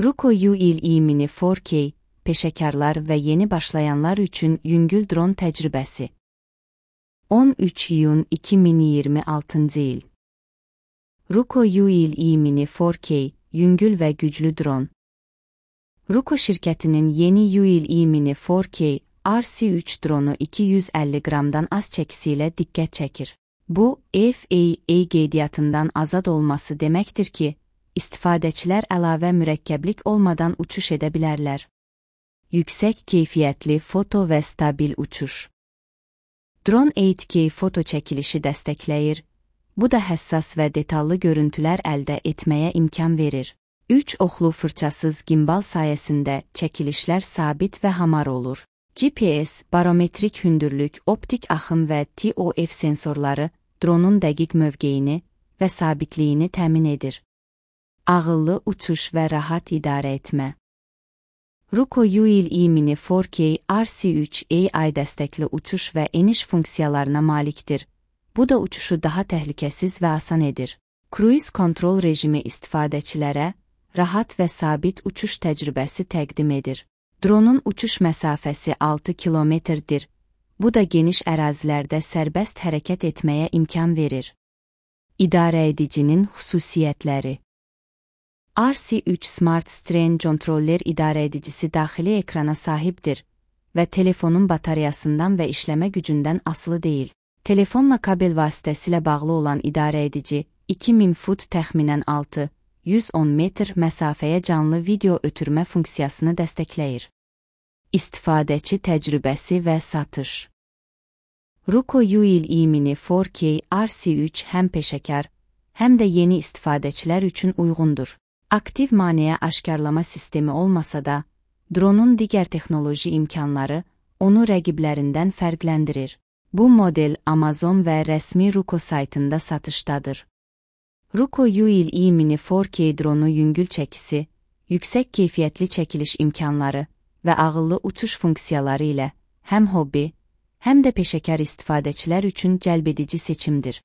Ruko ULE Mini 4K, peşəkarlar və yeni başlayanlar üçün yüngül dron təcrübəsi. 13 iyun 2026 il. Ruko ULE Mini 4K, yüngül və güclü dron. Ruko şirkətinin yeni ULE Mini 4K RC3 dronu 250 qramdan az çəkisi ilə diqqət çəkir. Bu, FAA qeydiyyatından azad olması deməkdir ki, istifadəçilər əlavə mürəkkəblik olmadan uçuş edə bilərlər. Yüksək keyfiyyətli foto və stabil uçuş. Dron 8K foto çəkilişi dəstəkləyir. Bu da həssas və detallı görüntülər əldə etməyə imkan verir. 3 oxlu fırçasız gimbal sayəsində çəkilişlər sabit və hamar olur. GPS, barometrik hündürlük, optik axım və TOF sensorları dronun dəqiq mövqeyini və sabitliyini təmin edir. Ağıllı uçuş və rahat idarə etmə. Ruko ULE Mini 4K RC3 AI dəstəkli uçuş və eniş funksiyalarına malikdir. Bu da uçuşu daha təhlükəsiz və asan edir. Cruise kontrol rejimi istifadəçilərə rahat və sabit uçuş təcrübəsi təqdim edir. Dronun uçuş məsafəsi 6 kilometrdir. Bu da geniş ərazilərdə sərbəst hərəkət etməyə imkan verir. İdarə edicinin xüsusiyyətləri. RC3 Smart Strain Controller idarə edicisi daxili ekrana sahibdir və telefonun bataryasından və işləmə gücündən asılı deyil. Telefonla kabel vasitəsilə bağlı olan idarə edici 2000 fut təxminən 6-110 metr məsafəyə canlı video ötürmə funksiyasını dəstəkləyir. İstifadəçi təcrübəsi və satış. Ruko ULE Mini 4K RC3 həm peşəkar, həm də yeni istifadəçilər üçün uyğundur. Aktiv maneə aşkarlama sistemi olmasa da, dronun digər texnoloji imkanları onu rəqiblərindən fərqləndirir. Bu model Amazon və rəsmi Ruko saytında satışdadır. Ruko ULE Mini 4K dronu yüngül çəkisi, yüksək keyfiyyətli çəkiliş imkanları və ağıllı uçuş funksiyaları ilə həm hobbi, həm də peşəkar istifadəçilər üçün cəlbedici seçimdir.